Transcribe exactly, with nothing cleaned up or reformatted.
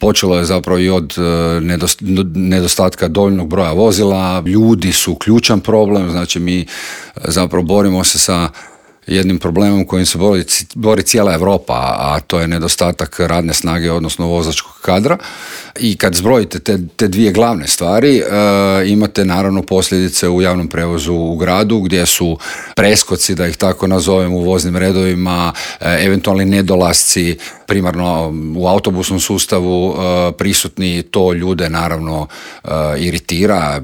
Počelo je zapravo i od nedostatka dovoljnog broja vozila. Ljudi su ključan problem, znači mi zapravo borimo se sa jednim problemom kojim se bori, bori cijela Europa, a to je nedostatak radne snage, odnosno vozačkog kadra. I kad zbrojite te, te dvije glavne stvari, e, imate naravno posljedice u javnom prevozu u gradu, gdje su preskoci, da ih tako nazovem, u voznim redovima, e, eventualni nedolasci, primarno u autobusnom sustavu e, prisutni, to ljude naravno e, iritira.